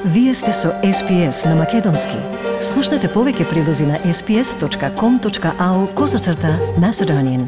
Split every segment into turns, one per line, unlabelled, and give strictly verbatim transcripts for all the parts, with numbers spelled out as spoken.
Вие сте со Ес Пи Ес на Македонски. Слушнете повеќе прилози на ес пи ес точка ком точка ау козацрта Macedonian.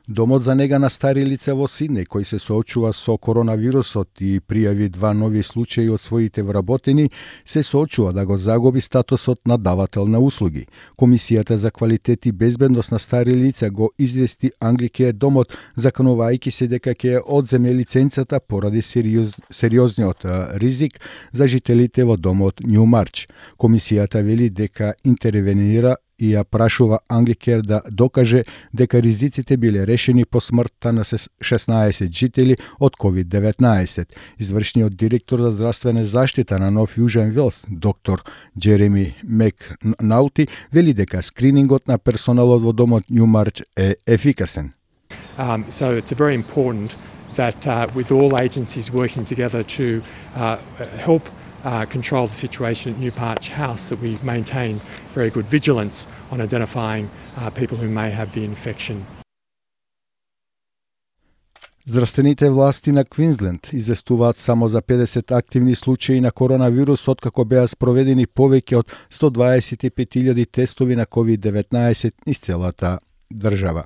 Домот за нега на стари лица во Сиднеј, кој се соочува со коронавирусот и пријави два нови случаи од своите вработени, се соочува да го загуби статусот на давател на услуги. Комисијата за квалитет и безбедност на стари лица го извести Англикеј домот, заканувајќи се дека ќе одземе лиценцата поради сериоз, сериозниот ризик за жителите во домот Ньумарч. Комисијата вели дека интервенира и ја прашува Англикеј да докаже дека ризиците биле решени по смртта на шеснаесет жители од ковид деветнаесет. Извршниот директор за здравствена заштита на Нов Јужен Велс, доктор Джереми Макнаути, вели дека скринингот на персоналот во домот Ньумарч е ефикасен.
Um, so it's very important that uh, with all agencies working together to uh, help Uh, control the situation at Newparch House, that we maintain very good vigilance on identifying uh, people who may have the infection.
Здравствените власти на Квинсленд известуваат само за педесет активни случаи на коронавирус, откако беа спроведени повеќе од сто дваесет и пет илјади тестови на ковид деветнаесет низ целата држава.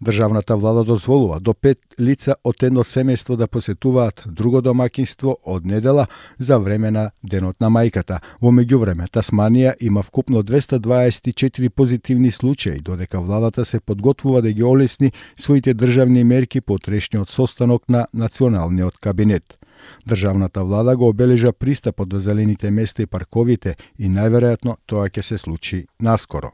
Државната влада дозволува до пет лица од едно семејство да посетуваат друго домаќинство од недела за време на Денот на мајката. Во меѓувреме, Тасманија има вкупно двеста дваесет и четири позитивни случаи, додека владата се подготвува да ги олесни своите државни мерки по утрешниот состанок на Националниот кабинет. Државната влада го обележа пристапот до зелените места и парковите и најверојатно тоа ќе се случи наскоро.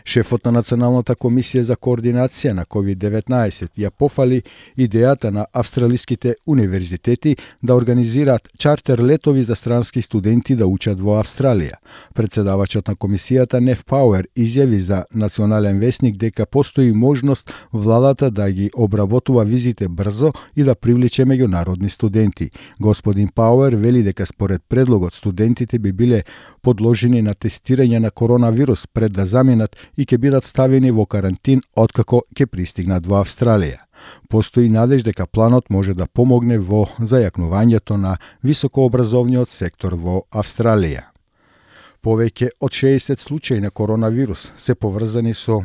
Шефот на Националната комисија за координација на ковид деветнаесет ја пофали идејата на австралиските универзитети да организираат чартер летови за странски студенти да учат во Австралија. Председавачот на комисијата Неф Пауер изјави за Национален весник дека постои можност владата да ги обработува визите брзо и да привлече меѓународни студенти. Господин Пауер вели дека според предлогот студентите би биле подложени на тестирање на коронавирус пред да заминат и ќе бидат ставени во карантин откако ќе пристигнат во Австралија. Постои надеж дека планот може да помогне во зајакнувањето на високообразовниот сектор во Австралија. Повеќе од шеесет случаи на коронавирус се поврзани со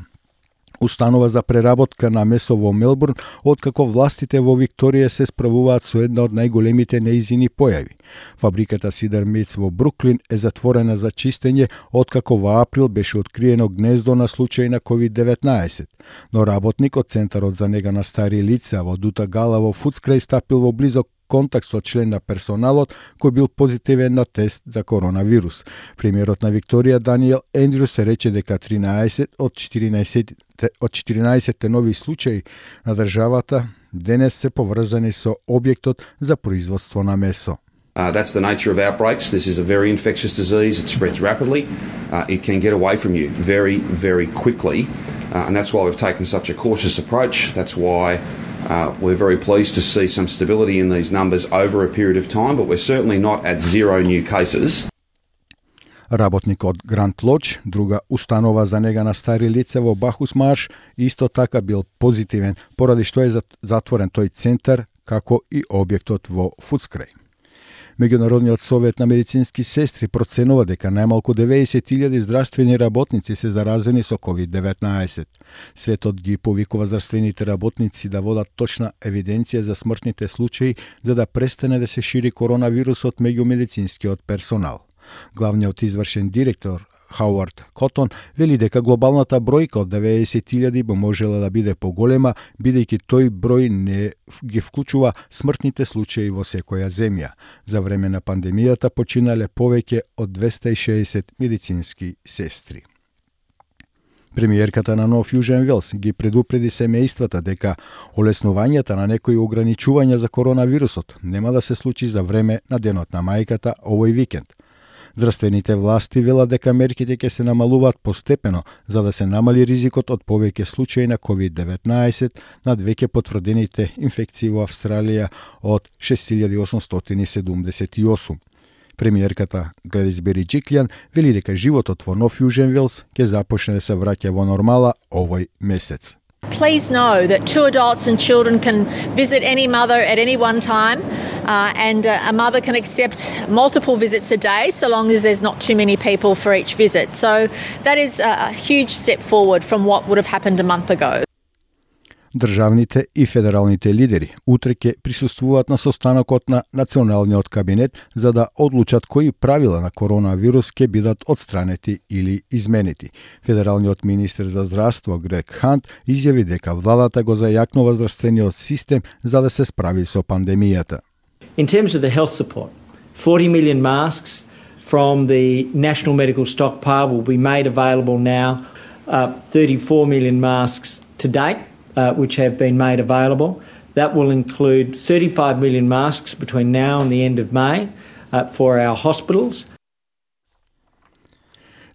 установа за преработка на месо во Мелбурн, откако властите во Викторија се справуваат со една од најголемите неизини појави. Фабриката Сидар Мејц во Бруклин е затворена за чистење, откако во април беше откриено гнездо на случаи на ковид деветнаесет. Но работник од Центарот за нега на стари лица во Дута Гала во Фудскрај стапил во близок контакт со член на персоналот кој бил позитивен на тест за коронавирус. Премиерот на Викторија Даниел Ендрюс рече дека тринаесет од четиринаесет од четиринаесет нови случаи на државата денес се поврзани со објектот за производство на месо.
Uh, that's the nature of outbreaks. This is a very infectious disease. It spreads rapidly. Uh, it can get away from you very, very quickly. Uh, and that's why we've taken such a cautious approach. That's why uh, we're very pleased to see some stability in these numbers over a period of time, but we're certainly not at zero new cases.
Работник од Гранд Лодж, друга установа за нега на стари лица во Бахус Марш, исто така бил позитивен, поради што е затворен тој центар, како и објектот во Фудскрај. Меѓународниот совет на медицински сестри проценува дека најмалку деветдесет илјади здравствени работници се заразени со ковид деветнаесет. Светот ги повикува здравствените работници да водат точна евиденција за смртните случаи за да престане да се шири коронавирусот меѓу медицинскиот персонал. Главниот извршен директор Хауард Котон вели дека глобалната бројка од деветдесет илјади би можела да биде поголема, бидејќи тој број не ги вклучува смртните случаи во секоја земја. За време на пандемијата починале повеќе од двеста и шеесет медицински сестри. Премиерката на Нов Јужен Велс ги предупреди семејствата дека олеснувањата на некои ограничувања за коронавирусот нема да се случи за време на Денот на мајката овој викенд. Здравствените власти велат дека мерките ќе се намалуваат постепено за да се намали ризикот од повеќе случаи на ковид деветнаесет над веќе потврдените инфекции во Австралија од шест илјади осумстотини седумдесет и осум. Премиерката Гледис Бериџиклјан вели дека животот во Нов Јужен Велс ќе започне да се враќа во нормала овој месец.
Please know that two adults and children can visit any mother at any one time, uh, and uh, a mother can accept multiple visits a day so long as there's not too many people for each visit. So that is a huge step forward from what would have happened a month ago.
Државните и федералните лидери утре ќе присуствуваат на состанокот на Националниот кабинет за да одлучат кои правила на коронавирус ќе бидат отстранети или изменети. Федералниот министер за здравство Грег Хант изјави дека владата го зајакнува здравствениот систем за да се справи со пандемијата.
In terms of the health support, forty million masks from the National Medical Stockpile will be made available now. Uh, thirty-four million masks to date. Uh, which have been made available. That will include thirty-five million masks between now and the end of May uh, for our hospitals.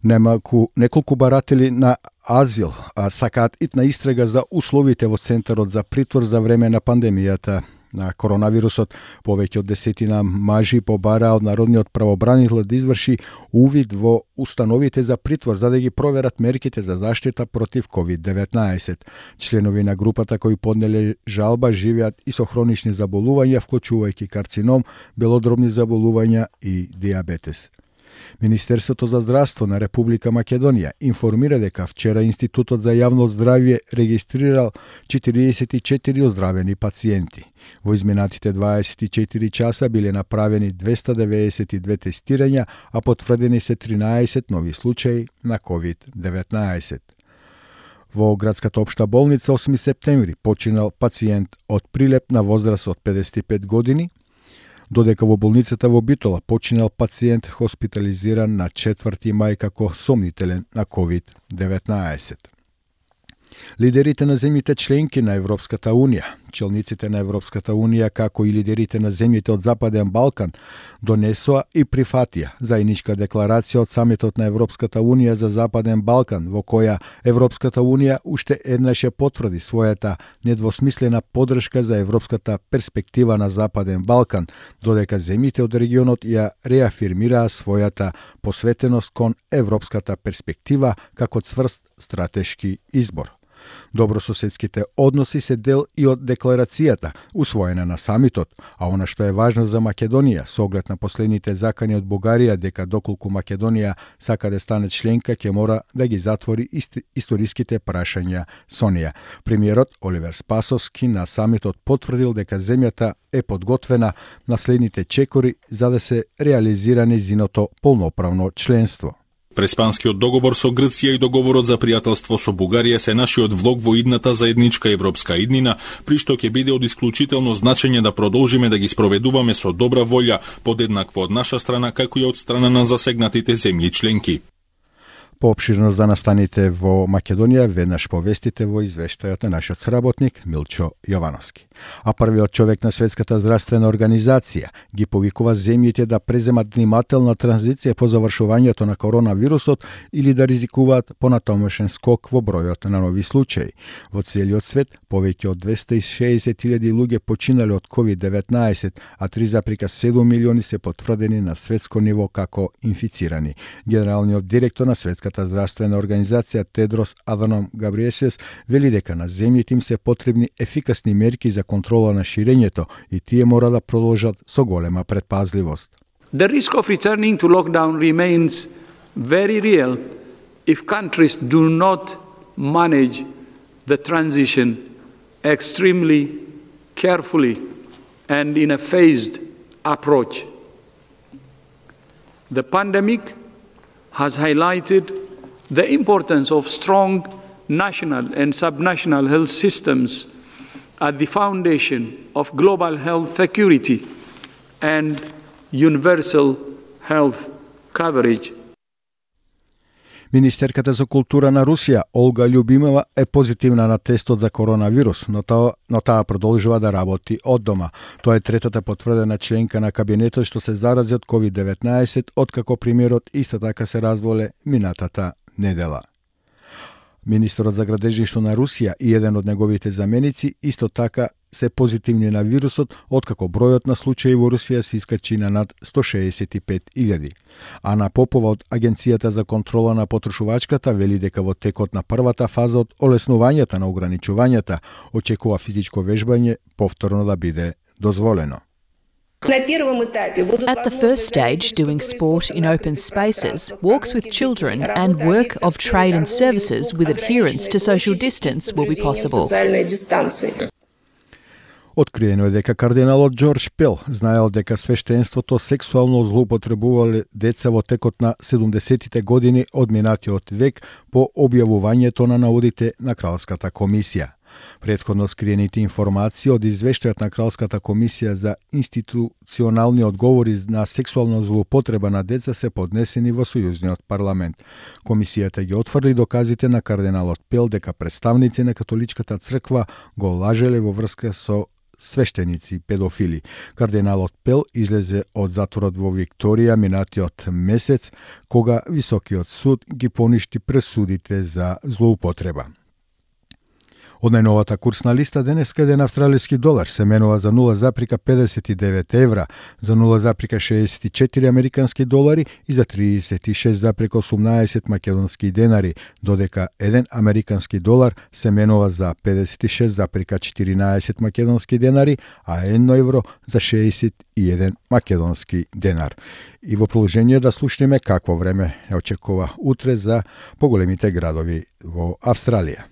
Немаку неколку баратели на азил а сакаат итна истрага за условите во Центарот за притвор за време на пандемијата на коронавирусот. Повеќе од десетина мажи побараа од народниот правобранител да изврши увид во установите за притвор за да ги проверат мерките за заштита против ковид деветнаесет. Членови на групата кои поднеле жалба живеат и со хронични заболувања, вклучувајќи карцином, белодробни заболувања и диабетес. Министерството за здравство на Република Македонија информира дека вчера Институтот за јавно здравје регистрирал четириесет и четири оздравени пациенти. Во изминатите дваесет и четири часа биле направени двеста деветдесет и две тестирања, а потврдени се тринаесет нови случаи на ковид деветнаесет. Во градската општа болница осми септември починал пациент од Прилеп на возраст од педесет и пет години, додека во болницата во Битола починал пациент хоспитализиран на четврти мај како сомнителен на ковид деветнаесет. Лидерите на земјите членки на Европската Унија, челниците на Европската Унија, како и лидерите на земјите од Западен Балкан, донесоа и прифатија заедничка декларација од самитот на Европската Унија за Западен Балкан, во која Европската Унија уште еднаш ја потврди својата недвосмислена поддршка за европската перспектива на Западен Балкан, додека земјите од регионот ја реафирмираа својата посветеност кон европската перспектива како цврст стратешки избор. Добрососедските односи се дел и од декларацијата, усвоена на самитот, а она што е важно за Македонија, со оглед на последните закани од Бугарија дека доколку Македонија сака да стане членка, ќе мора да ги затвори историските прашања со неа. Премиерот Оливер Спасовски на самитот потврдил дека земјата е подготвена на следните чекори за да се реализира нејзиното полноправно членство.
Преспанскиот договор со Грција и договорот за пријателство со Бугарија се нашиот влог во идната заедничка европска иднина, при што ќе биде од исклучително значење да продолжиме да ги спроведуваме со добра волја, подеднакво од наша страна, како и од страна на засегнатите земји членки.
Поопширно за настаните во Македонија веднаш повестите во извештајот на нашиот сработник Милчо Јовановски. А првиот човек на Светската здравствена организација ги повикува земјите да преземат внимателна транзиција по завршувањето на коронавирусот или да ризикуваат понатомошен скок во бројот на нови случаи. Во целиот свет повеќе од двеста и шеесет илјади луѓе починале од ковид деветнаесет, а три зарез седум милиони се потврдени на светско ниво како инфицирани. Генералниот директор на Светската здравствена организација Тедрос Аданом Габриесиус вели дека на земјите им се потребни ефикасни мерки за контрола на ширењето и тие мора да продолжат со голема предпазливост.
The risk of returning to lockdown remains very real if countries do not manage the transition extremely carefully and in a phased approach. The pandemic has highlighted the importance of strong national and subnational health systems at the foundation of global health security and universal health coverage.
Министерката за култура на Русија Олга Љубимова е позитивна на тестот за коронавирус, но таа, но таа продолжува да работи од дома. Тоа е третата потврдена членка на кабинетот што се зарази од ковид деветнаесет, откако премиерот исто така се разболе минатата недела. Министерот за градежништво на Русија и еден од неговите заменици исто така се позитивни на вирусот, откако бројот на случаи во Русија се искачи на над сто шеесет и пет илјади. Ана Попова од Агенцијата за контрола на потрошувачката вели дека во текот на првата фаза од олеснувањата на ограничувањата очекува физичко вежбање повторно да биде дозволено.
At the first stage, doing sport in open spaces, walks with children and work of trade and services with adherence to social distance will be possible.
Откриено е дека кардиналот Џорџ Пел знаел дека свештенството сексуално злоупотребувале деца во текот на седумдесетите години од минатиот век по објавувањето на наодите на Кралската комисија. Претходно скриените информации од извештајот на Кралската комисија за институционални одговори на сексуална злоупотреба на деца се поднесени во Сојузниот парламент. Комисијата ги отфрли доказите на кардиналот Пел дека представници на католичката црква го лажеле во врска со свештеници педофили. Кардиналот Пел излезе од затворот во Викторија минатиот месец, кога Високиот суд ги поништи пресудите за злоупотреба. Од најновата курсна листа денеска еден австралиски долар се менува за нула запирка педесет и девет евра, за нула запирка шеесет и четири американски долари и за тридесет и шест запирка осумнаесет македонски денари, додека еден американски долар се менува за педесет и шест запирка четиринаесет македонски денари, а едно евро за шеесет и еден македонски денар. И во продолжение да слушнеме какво време ја очекува утре за поголемите градови во Австралија.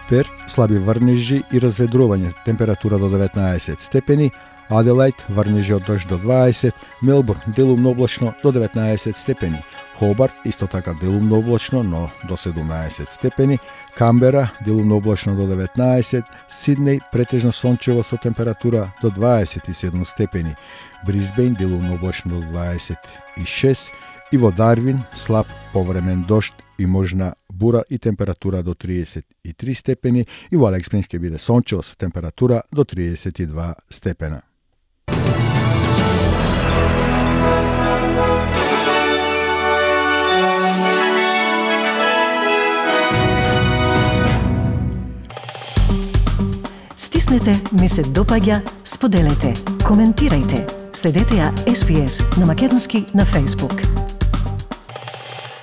Перт, слаби врнежи и разведрување, температура до деветнаесет степени, Аделајд, врнежи од дожд до дваесет, Мелбурн, делумно облачно до деветнаесет степени, Хобарт, исто така делумно облачно, но до седумнаесет степени, Камбера, делумно облачно до деветнаесет, Сиднеј, претежно сончево со температура до дваесет и седум степени, Брисбејн, делумно облачно до дваесет и шест, и во Дарвин, слаб повремен дожд и можна бура и температура до триесет и три степени, и во Алекс Плейнс ќе биде сончево со температура до триесет и два степена.
Стиснете, ми се допаѓа, споделете, коментирајте. Следете ја Ес Би Ес на македонски на Facebook.